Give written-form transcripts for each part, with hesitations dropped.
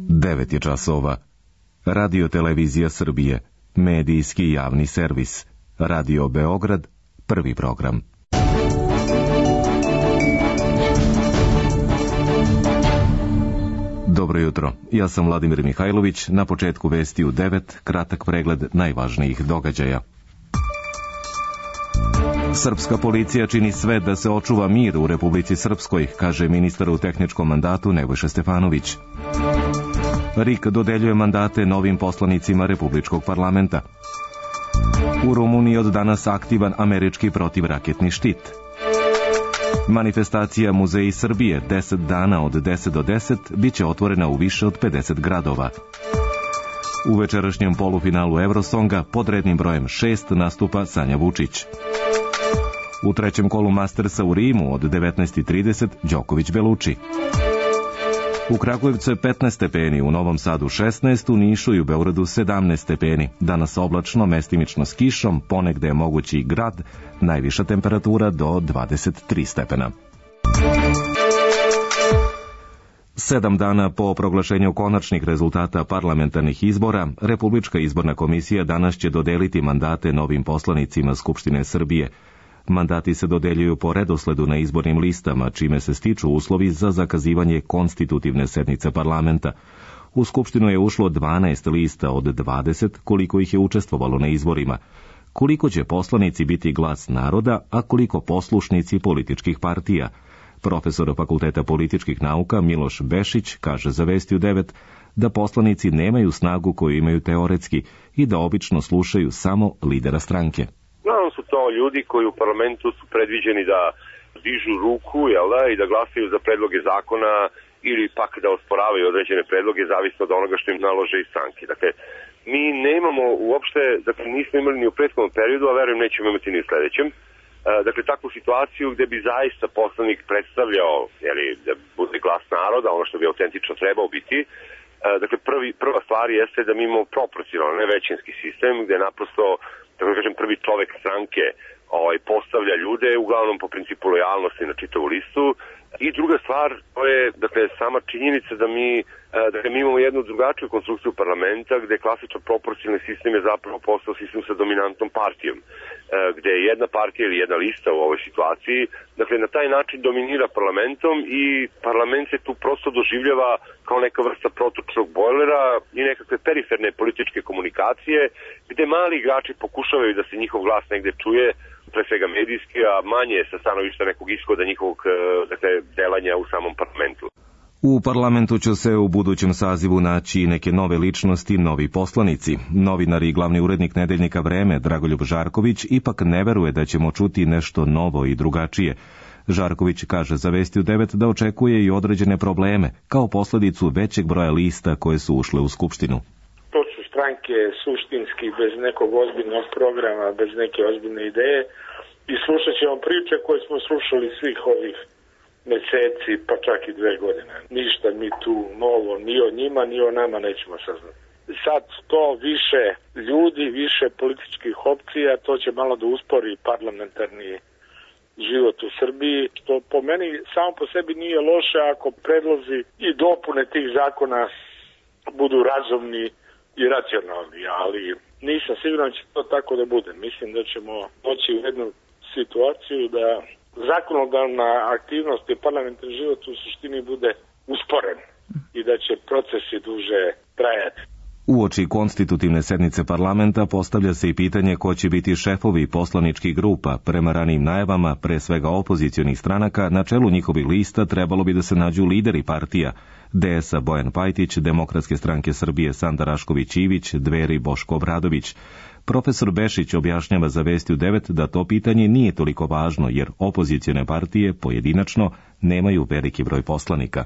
9 je časova. Radio Televizija Srbije, medijski javni servis. Radio Beograd, prvi program. Dobro jutro, ja sam Vladimir Mihajlović, na početku vesti u 9, kratak pregled najvažnijih događaja. Srpska policija čini sve da se očuva mir u Republici Srpskoj, kaže ministar u tehničkom mandatu Nebojša Stefanović. RIK dodeljuje mandate novim poslanicima Republičkog parlamenta. U Rumuniji od danas aktivan američki protivraketni štit. Manifestacija Muzeji Srbije 10 dana od 10 do 10 biće otvorena u više od 50 gradova. U večerašnjem polufinalu Eurosonga pod rednim brojem 6 nastupa Sanja Vučić. U trećem kolu Mastersa u Rimu od 19:30 Đoković Beluči. U Kragujevcu je 15 stepeni, u Novom Sadu 16, u Nišu i u Beogradu 17 stepeni. Danas oblačno, mestimično s kišom, ponegde je mogući i grad, najviša temperatura do 23 stepena. 7 dana po proglašenju konačnih rezultata parlamentarnih izbora, Republička izborna komisija danas će dodeliti mandate novim poslanicima Skupštine Srbije. Mandati se dodeljuju po redosledu na izbornim listama, čime se stiču uslovi za zakazivanje konstitutivne sednice parlamenta. U Skupštinu je ušlo 12 lista od 20, koliko ih je učestvovalo na izborima. Koliko će poslanici biti glas naroda, a koliko poslušnici političkih partija? Profesor Fakulteta političkih nauka Miloš Bešić kaže za Vesti u 9 da poslanici nemaju snagu koju imaju teoretski i da obično slušaju samo lidera stranke. Uglavnom su to ljudi koji u parlamentu su predviđeni da dižu ruku, i da glasaju za predloge zakona ili pak da osporavaju određene predloge, zavisno od onoga što im nalože i stranke. Dakle, mi nemamo uopšte, nismo imali ni u prethodnom periodu, a verujem nećemo imati ni u sledećem, takvu situaciju gde bi zaista poslanik predstavljao, da bude glas naroda, ono što bi autentično trebao biti. Prva stvar jeste da mi imamo proporcionalno, ne većinski sistem, gde naprosto prvi čovek stranke postavlja ljude, uglavnom po principu lojalnosti na čitavu listu. I druga stvar, to je sama činjenica da mi imamo jednu drugačiju konstrukciju parlamenta, gde klasičan proporcionalni sistem je zapravo postao sistem sa dominantnom partijom, gde jedna partija ili jedna lista u ovoj situaciji, na taj način dominira parlamentom i parlament se tu prosto doživljava kao neka vrsta protočnog bojlera i nekakve periferne političke komunikacije, gde mali igrači pokušavaju da se njihov glas negde čuje, pre svega medijski, a manje sa stanovišta nekog ishoda njihovog delanja u samom parlamentu. U parlamentu će se u budućem sazivu naći neke nove ličnosti, novi poslanici. Novinar i glavni urednik nedeljnika Vreme, Dragoljub Žarković, ipak ne veruje da ćemo čuti nešto novo i drugačije. Žarković kaže za Vesti u 9 da očekuje i određene probleme, kao posledicu većeg broja lista koje su ušle u Skupštinu. To su stranke suštinski, bez nekog ozbiljnog programa, bez neke ozbiljne ideje i slušat ćemo priče koje smo slušali svih ovih meseci, pa čak i 2 godine. Ništa mi tu novo, ni o njima, ni o nama nećemo saznati. Sad to više ljudi, više političkih opcija, to će malo da uspori parlamentarni život u Srbiji, što po meni samo po sebi nije loše ako predlozi i dopune tih zakona budu razumni i racionalni, ali nisam siguran da će to tako da bude. Mislim da ćemo doći u jednu situaciju da zakonodavna aktivnost i parlamentarni život u suštini bude usporen i da će procesi duže trajati. Uoči konstitutivne sednice parlamenta postavlja se i pitanje ko će biti šefovi poslaničkih grupa. Prema ranijim najavama, pre svega opozicionih stranaka, na čelu njihovih lista trebalo bi da se nađu lideri partija. DS-a Bojan Pajtić, Demokratske stranke Srbije Sanda Rašković-Ivić, Dveri Boško Obradović. Profesor Bešić objašnjava za Vesti u 9 da to pitanje nije toliko važno, jer opozicione partije pojedinačno nemaju veliki broj poslanika.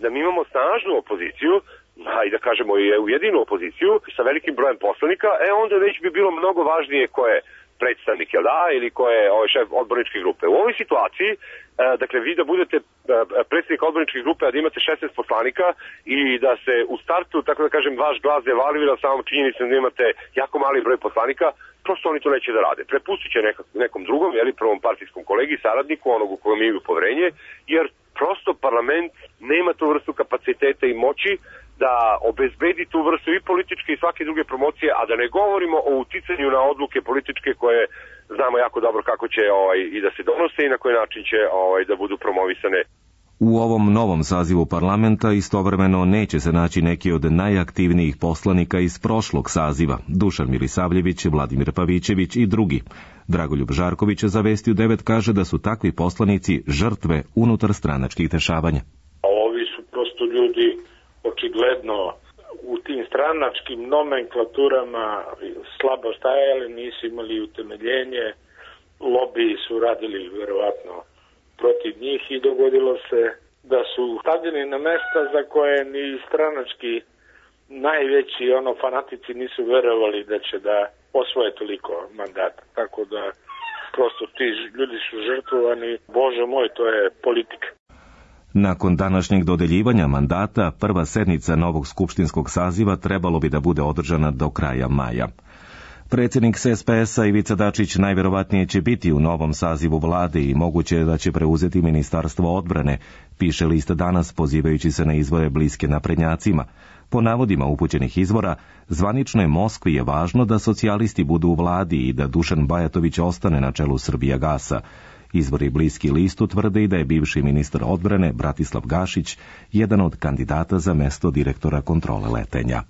Da mi imamo snažnu opoziciju, i da kažemo i ujedinu opoziciju sa velikim brojem poslanika, onda već bi bilo mnogo važnije ko je predstavnik, ili ko je šef odborničke grupe. U ovoj situaciji, vi da budete predstavnik odborničke grupe, a da imate 16 poslanika i da se u startu, tako da kažem, vaš glas devalvira samom činjenicom da imate jako mali broj poslanika, prosto oni to neće da rade. Prepustit će nekom drugom, prvom partijskom kolegi, saradniku, onog u kojem imaju poverenje, jer prosto parlament nema tu vrstu kapaciteta i moći da obezbedi tu vrstu i političke i svake druge promocije, a da ne govorimo o uticanju na odluke političke koje znamo jako dobro kako će i da se donose i na koji način će da budu promovisane. U ovom novom sazivu parlamenta istovremeno neće se naći neki od najaktivnijih poslanika iz prošlog saziva, Dušan Milisavljević, Vladimir Pavićević i drugi. Dragoljub Žarković za Vesti u 9 kaže da su takvi poslanici žrtve unutar stranačkih dešavanja. Ovi su prosto ljudi očigledno u tim stranačkim nomenklaturama slabo stajali, nisu imali utemeljenje, lobiji su radili verovatno protiv njih i dogodilo se da su stavljeni na mesta za koje ni stranački najveći fanatici nisu verovali da će da osvoje toliko mandata. Tako da prosto ti ljudi su žrtvovani, Bože moj, to je politika. Nakon današnjeg dodeljivanja mandata, prva sednica novog skupštinskog saziva trebalo bi da bude održana do kraja maja. Predsjednik SPS-a Ivica Dačić najverovatnije će biti u novom sazivu vlade i moguće je da će preuzeti Ministarstvo odbrane, piše list Danas pozivajući se na izvore bliske naprednjacima. Po navodima upućenih izvora, zvaničnoj Moskvi je važno da socijalisti budu u vladi i da Dušan Bajatović ostane na čelu Srbijagasa. Izvori bliski listu tvrde i da je bivši ministar odbrane Bratislav Gašić jedan od kandidata za mesto direktora kontrole letenja.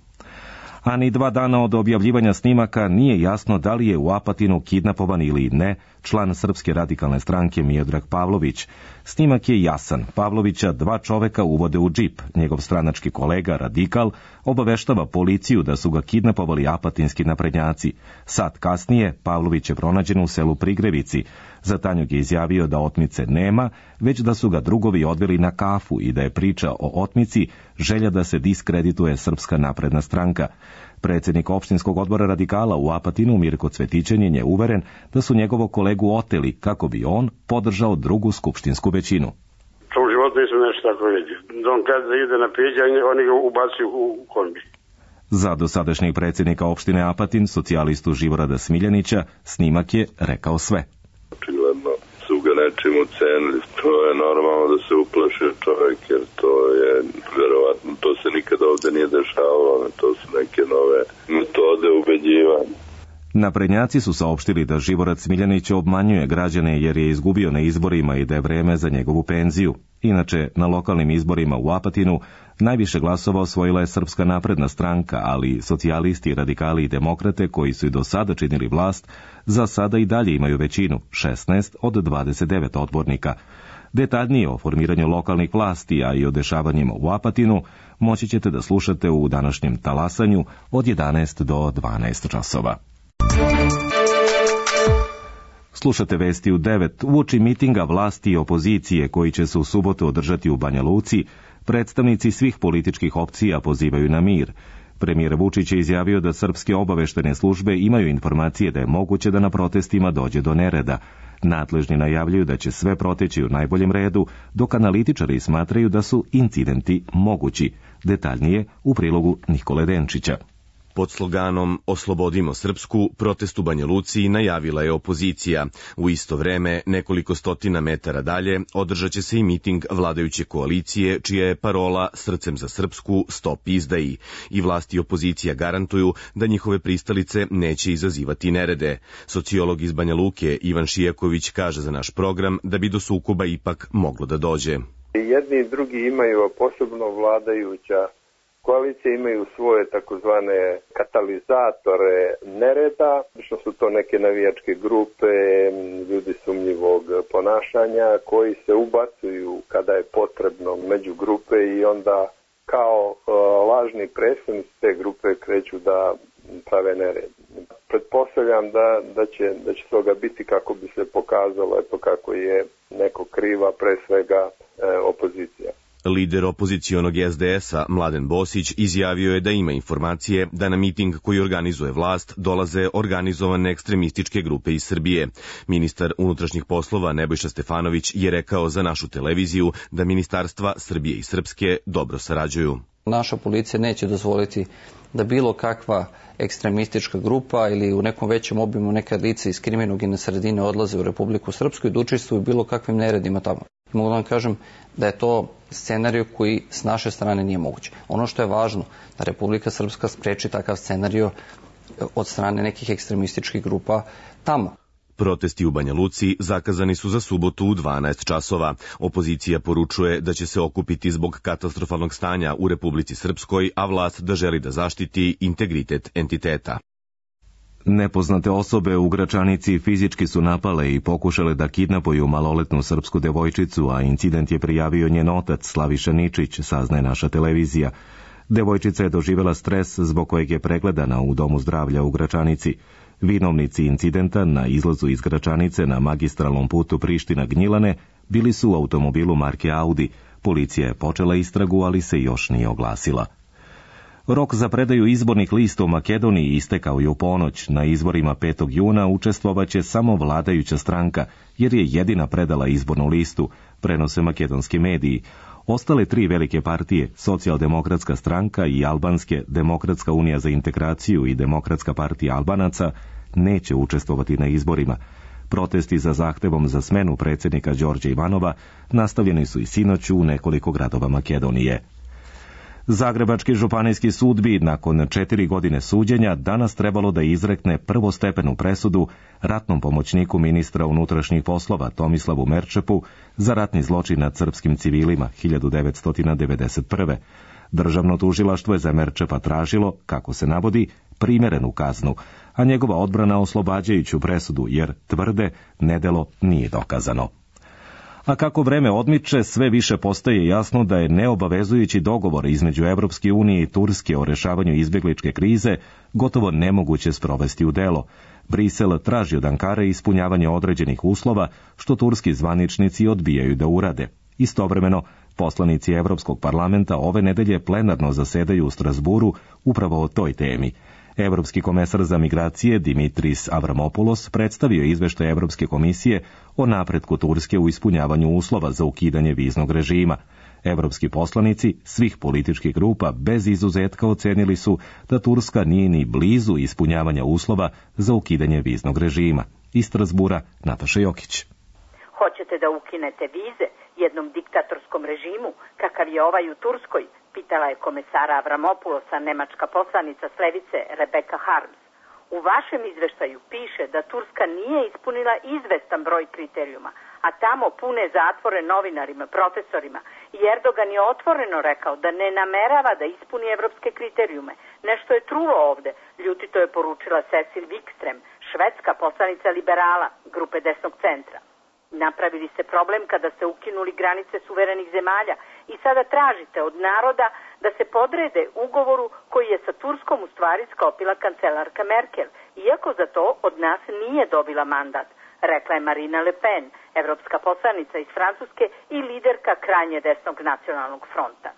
A ni 2 dana od objavljivanja snimaka nije jasno da li je u Apatinu kidnapovan ili ne član Srpske radikalne stranke Miodrag Pavlović. Snimak je jasan. Pavlovića 2 čoveka uvode u džip. Njegov stranački kolega, radikal, obaveštava policiju da su ga kidnapovali apatinski naprednjaci. Sat kasnije Pavlović je pronađen u selu Prigrevici. Za Tanjug je izjavio da otmice nema, već da su ga drugovi odveli na kafu i da je priča o otmici želja da se diskredituje Srpska napredna stranka. Predsjednik opštinskog odbora radikala u Apatinu Mirko Cvetićanin je uveren da su njegovog kolegu oteli kako bi on podržao drugu skupštinsku većinu. U životu nisam nešto tako vidio. On kada ide na piđanje, oni ga ubacuju u kombi. Za dosadašnjeg predsjednika opštine Apatin, socijalistu Živorada Smiljanića, snimak je rekao sve. Očigledno su ga nečim ucenili. To je normalno da se uplašio čovjek, jer to je verovatno, to se nikada ovdje nije dešavalo, to su neke nove metode ubeđivanja. Naprednjaci su saopštili da Živorad Smiljanić obmanjuje građane jer je izgubio na izborima i da je vreme za njegovu penziju. Inače, na lokalnim izborima u Apatinu najviše glasova osvojila je Srpska napredna stranka, ali socijalisti, radikali i demokrate koji su i do sada činili vlast, za sada i dalje imaju većinu, 16 od 29 odbornika. Detaljnije o formiranju lokalnih vlasti, a i o dešavanjima u Apatinu, moći ćete da slušate u današnjem talasanju od 11 do 12 časova. Slušate Vesti u 9. Uoči mitinga vlasti i opozicije koji će se u subotu održati u Banja Luci, predstavnici svih političkih opcija pozivaju na mir. Premijer Vučić je izjavio da srpske obaveštene službe imaju informacije da je moguće da na protestima dođe do nereda. Nadležni najavljuju da će sve proteći u najboljem redu, dok analitičari smatraju da su incidenti mogući. Detaljnije u prilogu Nikole Denčića. Pod sloganom Oslobodimo Srpsku, protest u Banja Luci najavila je opozicija. U isto vreme, nekoliko stotina metara dalje, održat će se i miting vladajuće koalicije, čija je parola Srcem za Srpsku, stop izdaji. I vlasti i opozicija garantuju da njihove pristalice neće izazivati nerede. Sociolog iz Banja Luke Ivan Šijaković kaže za naš program da bi do sukoba ipak moglo da dođe. Jedni i drugi imaju, a posebno vladajuća koalicije imaju svoje takozvane katalizatore nereda, što su to neke navijačke grupe, ljudi sumnjivog ponašanja koji se ubacuju kada je potrebno među grupe i onda kao lažni predstavnici te grupe kreću da prave nered. Pretpostavljam da će toga biti kako bi se pokazalo kako je neko kriva, pre svega opozicija. Lider opozicionog SDS-a Mladen Bosić izjavio je da ima informacije da na miting koji organizuje vlast dolaze organizovane ekstremističke grupe iz Srbije. Ministar unutrašnjih poslova Nebojša Stefanović je rekao za našu televiziju da ministarstva Srbije i Srpske dobro sarađuju. Naša policija neće dozvoliti da bilo kakva ekstremistička grupa ili u nekom većem obimu neka lica iz kriminogene sredine odlaze u Republiku Srpsku i da učestvuju bilo kakvim neredima tamo. Mogu da vam kažem da je to scenarij koji s naše strane nije moguće. Ono što je važno, da Republika Srpska spreči takav scenarij od strane nekih ekstremističkih grupa tamo. Protesti u Banja Luci zakazani su za subotu u 12 časova. Opozicija poručuje da će se okupiti zbog katastrofalnog stanja u Republici Srpskoj, a vlast da želi da zaštiti integritet entiteta. Nepoznate osobe u Gračanici fizički su napale i pokušale da kidnapuju maloletnu srpsku devojčicu, a incident je prijavio njen otac Slaviša Ničić, saznaje naša televizija. Devojčica je doživjela stres zbog kojeg je pregledana u domu zdravlja u Gračanici. Vinovnici incidenta na izlazu iz Gračanice na magistralnom putu Priština-Gnjilane bili su u automobilu marke Audi. Policija je počela istragu, ali se još nije oglasila. Rok za predaju izbornih lista u Makedoniji istekao je u ponoć. Na izborima 5. juna učestvovaće samo vladajuća stranka, jer je jedina predala izbornu listu, prenose makedonski mediji. Ostale 3 velike partije, Socijaldemokratska stranka i Albanske, Demokratska unija za integraciju i Demokratska partija Albanaca, neće učestvovati na izborima. Protesti za zahtevom za smenu predsjednika Đorđa Ivanova nastavljeni su i sinoć u nekoliko gradova Makedonije. Zagrebački županijski sud bi nakon 4 godine suđenja danas trebalo da izrekne prvostepenu presudu ratnom pomoćniku ministra unutrašnjih poslova Tomislavu Merčepu za ratni zločin nad srpskim civilima 1991. Državno tužilaštvo je za Merčepa tražilo, kako se navodi, primerenu kaznu, a njegova odbrana oslobađajuću presudu, jer tvrde nedelo nije dokazano. A kako vreme odmiče, sve više postaje jasno da je neobavezujući dogovor između Evropske unije i Turske o rešavanju izbjegličke krize gotovo nemoguće sprovesti u delo. Brisel traži od Ankare ispunjavanje određenih uslova, što turski zvaničnici odbijaju da urade. Istovremeno, poslanici Evropskog parlamenta ove nedelje plenarno zasedaju u Strasburu upravo o toj temi. Evropski komesar za migracije Dimitris Avramopoulos predstavio izveštaj Evropske komisije o napretku Turske u ispunjavanju uslova za ukidanje viznog režima. Evropski poslanici svih političkih grupa bez izuzetka ocenili su da Turska nije ni blizu ispunjavanja uslova za ukidanje viznog režima. Iz Strasbura, Nataša Jokić. Hoćete da ukinete vize jednom diktatorskom režimu, kakav je ovaj u Turskoj, pitala je komesara Avramopoulosa nemačka poslanica s levice Rebecca Harms. U vašem izveštaju piše da Turska nije ispunila izvestan broj kriterijuma, a tamo pune zatvore novinarima, profesorima, i Erdogan je otvoreno rekao da ne namerava da ispuni evropske kriterijume. Nešto je trulo ovde, ljutito je poručila Cecil Wikström, švedska poslanica liberala, grupe desnog centra. Napravili ste problem kada ste ukinuli granice suverenih zemalja i sada tražite od naroda da se podrede ugovoru koji je sa Turskom u stvari sklopila kancelarka Merkel, iako za to od nas nije dobila mandat, rekla je Marine Le Pen, evropska poslanica iz Francuske i liderka krajnje desnog nacionalnog fronta.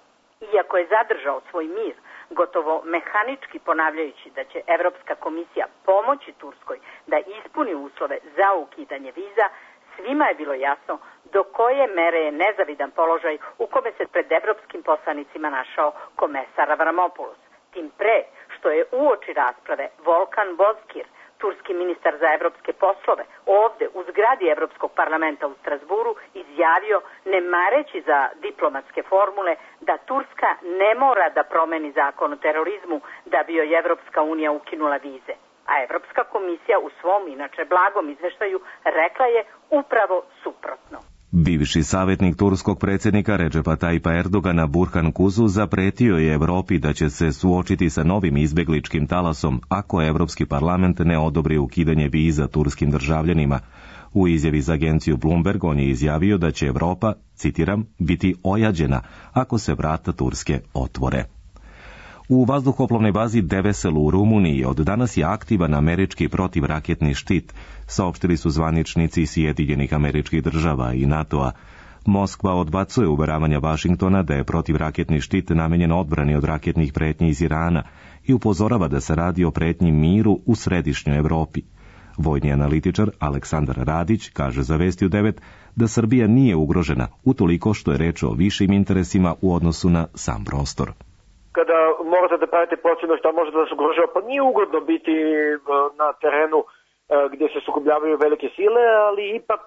Iako je zadržao svoj mir, gotovo mehanički ponavljajući da će Evropska komisija pomoći Turskoj da ispuni uslove za ukidanje viza, svima je bilo jasno do koje mere je nezavidan položaj u kome se pred evropskim poslanicima našao komesar Avramopoulos. Tim pre što je uoči rasprave Volkan Bozkir, turski ministar za evropske poslove, ovde u zgradi Evropskog parlamenta u Strasburu izjavio, ne mareći za diplomatske formule, da Turska ne mora da promeni zakon o terorizmu da bi joj Evropska unija ukinula vize. A Evropska komisija u svom, inače blagom izveštaju, rekla je upravo suprotno. Bivši savjetnik turskog predsjednika Redžepa Tajpa Erdogana Burhan Kuzu zapretio je Evropi da će se suočiti sa novim izbjegličkim talasom ako Evropski parlament ne odobri ukidanje viza turskim državljanima. U izjavi za agenciju Bloomberg on je izjavio da će Evropa, citiram, biti ojađena ako se vrata Turske otvore. U vazduhoplovnoj bazi Devesel u Rumuniji od danas je aktivan američki protivraketni štit, saopštili su zvaničnici Sjedinjenih Američkih Država i NATO-a. Moskva odbacuje uveravanja Vašingtona da je protivraketni štit namenjen odbrani od raketnih pretnji iz Irana i upozorava da se radi o pretnji miru u središnjoj Evropi. Vojni analitičar Aleksandar Radić kaže za Vesti u 9 da Srbija nije ugrožena utoliko što je reč o višim interesima u odnosu na sam prostor. Kada morate da pravite procjenu šta može da vas ugrožava, pa nije ugodno biti na terenu gdje se sukobljavaju velike sile, ali ipak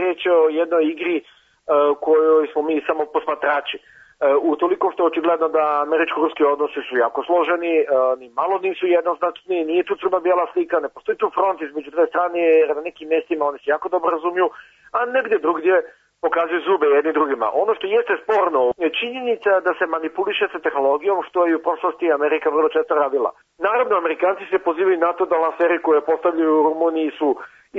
reč je o jednoj igri kojoj smo mi samo posmatrači. Utoliko što je očigledno da američko-ruski odnosi su jako složeni, ni malo nisu jednoznačni, nije tu crno-bijela slika, ne postoji tu front između dve strane, jer na nekim mjestima oni se jako dobro razumiju, a negdje drugdje pokazuju zube jedni drugima. Ono što jeste sporno je činjenica da se manipuliše sa tehnologijom, što je u prošlosti Amerika vrlo često radila. Naravno, Amerikanci se pozivaju na to da lanseri koje postavljaju u Rumuniji su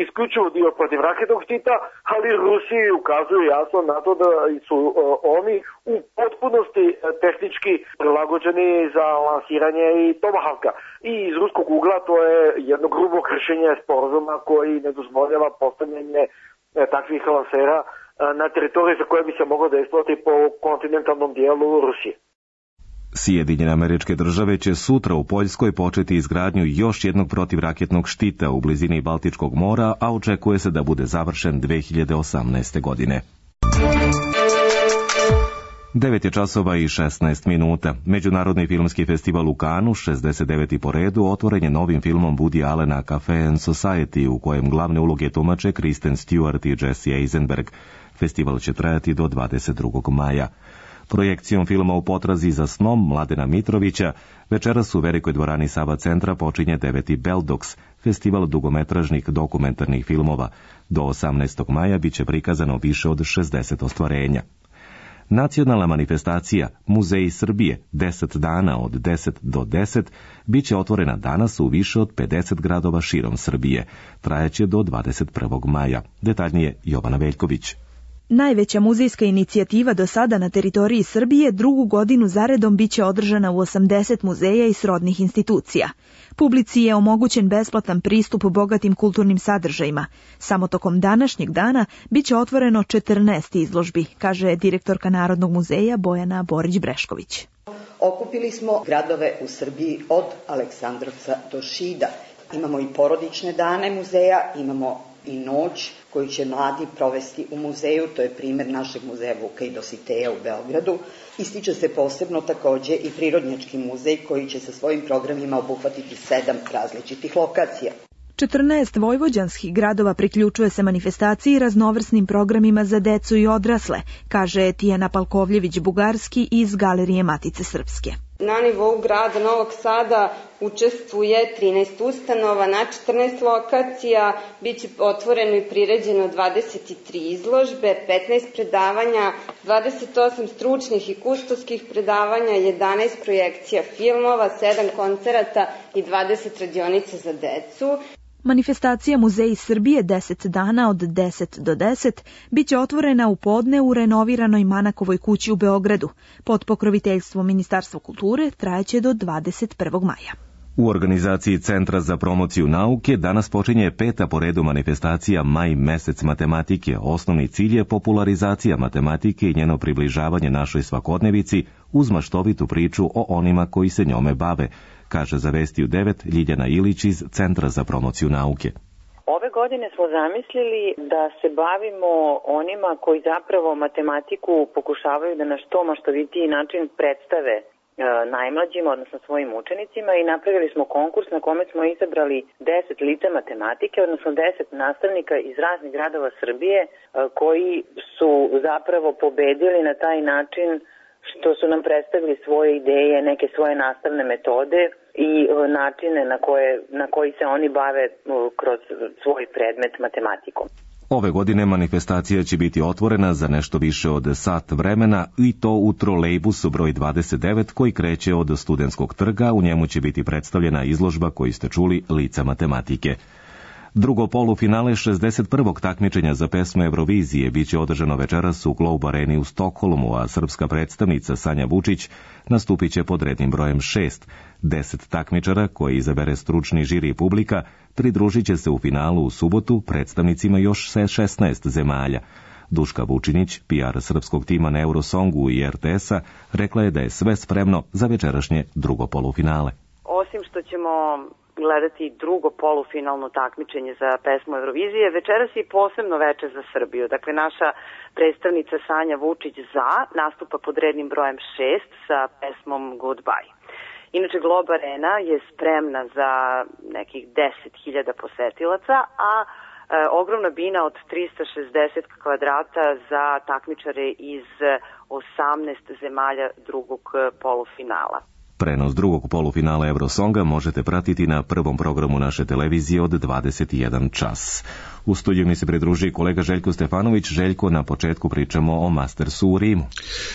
isključivo dio protivraketnog štita, ali Rusi ukazuju jasno na to da su oni u potpunosti tehnički prilagođeni za lansiranje i Tomahawka. I iz ruskog ugla to je jedno grubo kršenje sporazuma koji ne dozvoljava postavljanje takvih lansera na teritoriji za koje bi se moglo dejstvovati po kontinentalnom dijelu Rusije. Sjedinjene Američke Države će sutra u Poljskoj početi izgradnju još jednog protivraketnog štita u blizini Baltičkog mora, a očekuje se da bude završen 2018. godine. 9 je časova i 16 minuta. Međunarodni filmski festival u Kanu, 69. po redu, otvoren je novim filmom Woody Allena Cafe and Society, u kojem glavne uloge tumače Kristen Stewart i Jesse Eisenberg. Festival će trajati do 22. maja. Projekcijom filma U potrazi za snom Mladena Mitrovića večeras u velikoj dvorani Sava centra počinje 9. Beldox, festival dugometražnih dokumentarnih filmova. Do 18. maja biće prikazano više od 60 ostvarenja. Nacionalna manifestacija Muzeji Srbije 10 dana od 10 do 10 biće otvorena danas u više od 50 gradova širom Srbije. Trajaće do 21. maja. Detaljnije Jovana Veljković. Najveća muzejska inicijativa do sada na teritoriji Srbije drugu godinu zaredom biće održana u 80 muzeja i srodnih institucija. Publici je omogućen besplatan pristup bogatim kulturnim sadržajima. Samo tokom današnjeg dana biće otvoreno 14 izložbi, kaže direktorka Narodnog muzeja Bojana Borić-Brešković. Okupili smo gradove u Srbiji od Aleksandrovca do Šida. Imamo i porodične dane muzeja, imamo i noć koju će mladi provesti u muzeju, to je primjer našeg muzeja Vuka i Dositeja u Beogradu. Ističe se posebno također i Prirodnjački muzej koji će sa svojim programima obuhvatiti 7 različitih lokacija. 14 vojvođanskih gradova priključuje se manifestaciji raznovrsnim programima za decu i odrasle, kaže Tijana Palkovljević-Bugarski iz Galerije Matice Srpske. Na nivou grada Novog Sada učestvuje 13 ustanova na 14 lokacija, bit će otvoreno i priređeno 23 izložbe, 15 predavanja, 28 stručnih i kustoskih predavanja, 11 projekcija filmova, 7 koncerata i 20 radionica za decu. Manifestacija Muzeji Srbije 10 dana od 10 do 10 biće otvorena u podne u renoviranoj Manakovoj kući u Beogradu. Pod pokroviteljstvom Ministarstva kulture trajaće do 21. maja. U organizaciji Centra za promociju nauke danas počinje 5. po redu manifestacija Maj mesec matematike. Osnovni cilj je popularizacija matematike i njeno približavanje našoj svakodnevici uz maštovitu priču o onima koji se njome bave, kaže za Vesti u 9 Ljiljana Ilić iz Centra za promociju nauke. Ove godine smo zamislili da se bavimo onima koji zapravo matematiku pokušavaju da na što maštovitiji način predstave najmlađima, odnosno svojim učenicima, i napravili smo konkurs na kome smo izabrali 10 lica matematike, odnosno 10 nastavnika iz raznih gradova Srbije koji su zapravo pobedili na taj način što su nam predstavili svoje ideje, neke svoje nastavne metode i načine na koji se oni bave kroz svoj predmet matematikom. Ove godine manifestacija će biti otvorena za nešto više od sat vremena i to u trolejbusu broj 29 koji kreće od Studentskog trga. U njemu će biti predstavljena izložba koju ste čuli Lica matematike. Drugo polufinale 61. takmičenja za pesmu Eurovizije biće održano večeras u Globe Areni u Stokholmu, a srpska predstavnica Sanja Vučić nastupit će pod rednim brojem 6. 10 takmičara koje izabere stručni žiri i publika pridružit će se u finalu u subotu predstavnicima još 16 zemalja. Duška Vučinić, PR srpskog tima na Eurosongu i RTS-a, rekla je da je sve spremno za večerašnje drugo polufinale. Osim što ćemo gledati drugo polufinalno takmičenje za pesmu Eurovizije, večeras je posebno veče za Srbiju. Dakle, naša predstavnica Sanja Vučić nastupa pod rednim brojem 6 sa pesmom Goodbye. Inače, Globe Arena je spremna za nekih 10.000 posetilaca, a ogromna bina od 360 kvadrata za takmičare iz 18 zemalja drugog polufinala. Prenos drugog polufinala Eurosonga možete pratiti na prvom programu naše televizije od 21 čas. U studiju mi se pridruži kolega Željko Stefanović. Željko, na početku pričamo o Mastersu u Rimu.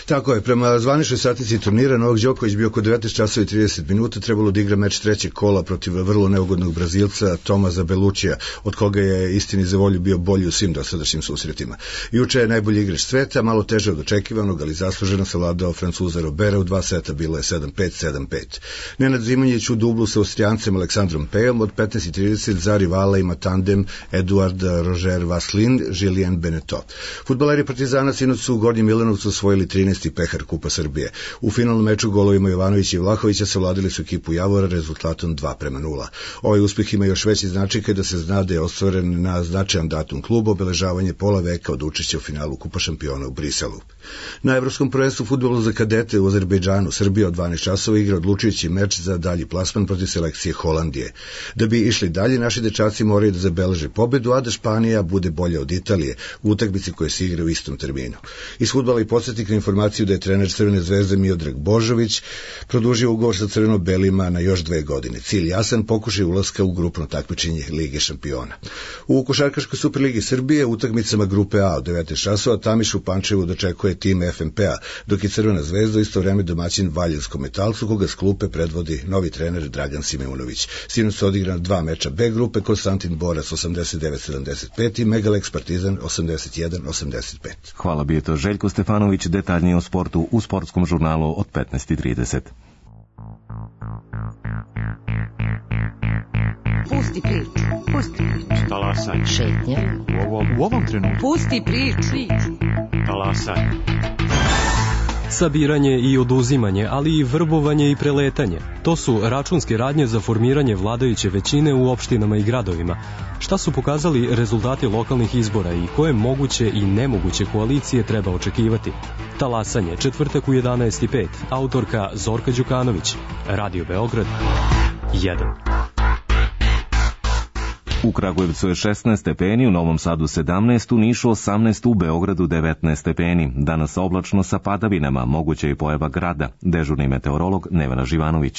Tako je, prema zvaničnoj statici turnira Novak Đoković bi oko 19 časova i 30 minuta trebalo da igra meč trećeg kola protiv vrlo neugodnog Brazilca Tomaza Belučija, od koga je istini za volju bio bolji u svim dosadašnjim susretima. Juče je najbolji igrač sveta, malo teže od očekivanog, ali zasluženo savladao Francuza Robera u 2 seta, bilo je 7-5, 7-5. Nenad Zimonjić u dublu sa Austrijancem Aleksandrom Pejom, od 15:30 za rivala ima tandem Eduard Roger Vaslin, Julien Beneteau. Fudbaleri Partizana sinoć su u Gornjem Milanovcu osvojili 13. pehar Kupa Srbije. U finalnom meču golovima Jovanovića i Vlahovića savladili su ekipu Javora rezultatom 2:0. Ovaj uspeh ima još veći značaj kada se zna da je ostvaren na značajan datum kluba, obeležavanje pola veka od učešća u finalu Kupa šampiona u Briselu. Na Evropskom prvenstvu fudbalu za kadete u Azerbejdžanu Srbija od 12 časova igra odlučujući meč za dalji plasman protiv selekcije Holandije. Da bi išli dalje, naši dečaci moraju da zabeleže pobedu, a da Španija bude bolja od Italije u utakmici koje se igra u istom terminu. Iz fudbala i podsjetnik na informaciju da je trener Crvene zvezde Miodrag Božović produžio ugovor sa crveno-belima na još 2 godine. Cilj jasan, pokušaj ulaska u grupno takmičenje Lige šampiona. U košarkaškoj Superligi Srbije utakmicama grupe A od 19 časova Tamiš u Pančevu dočekuje tim FNP-a, dok je Crvena zvezda isto vreme domaćin Valjanskom Metalcu, koga s klupe predvodi novi trener Dragan Simeunović. Sinoć su odigrana 2 meča B grupe, Konstantin Borac 89-75 i Megalex Partizan 81-85. Hvala, bio to Željko Stefanović, detaljnije o sportu u sportskom žurnalu od 15:30. Pusti priču, pusti priču. Talasaj. Šetnja. U ovom trenutku. Pusti priču. Talasaj. Sabiranje i oduzimanje, ali i vrbovanje i preletanje. To su računske radnje za formiranje vladajuće većine u opštinama i gradovima. Šta su pokazali rezultati lokalnih izbora i koje moguće i nemoguće koalicije treba očekivati? Talasanje, četvrtak u 11:05. Autorka Zorka Đukanović. Radio Beograd 1. U Kragujevcu je 16 stepeni, u Novom Sadu 17, u Nišu 18, u Beogradu 19 stepeni. Danas oblačno sa padavinama, moguće je pojava grada. Dežurni meteorolog Nevena Živanović.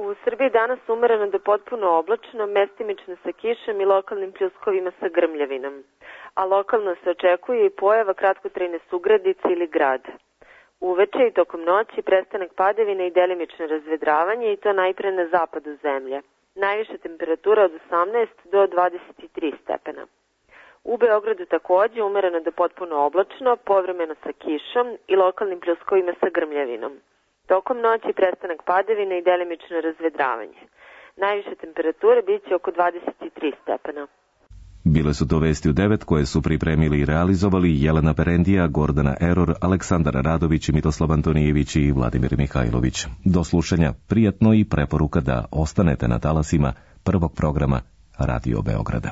U Srbiji danas umereno do potpuno oblačno, mestimično sa kišom i lokalnim pljuskovima sa grmljavinom. A lokalno se očekuje i pojava kratkotrajne sugradice ili grada. Uveče i tokom noći prestanak padavina i delimično razvedravanje i to najpre na zapadu zemlje. Najviša temperatura od 18 do 23 stepena. U Beogradu takođe umereno do potpuno oblačno, povremeno sa kišom i lokalnim pljuskovima sa grmljavinom. Tokom noći prestanak padavina i delimično razvedravanje. Najviša temperatura biće oko 23 stepena. Bile su to vesti u 9 koje su pripremili i realizovali Jelena Perendija, Gordana Eror, Aleksandar Radović, Mitoslav Antonijević i Vladimir Mihajlović. Do slušanja, prijatno i preporuka da ostanete na talasima prvog programa Radio Beograda.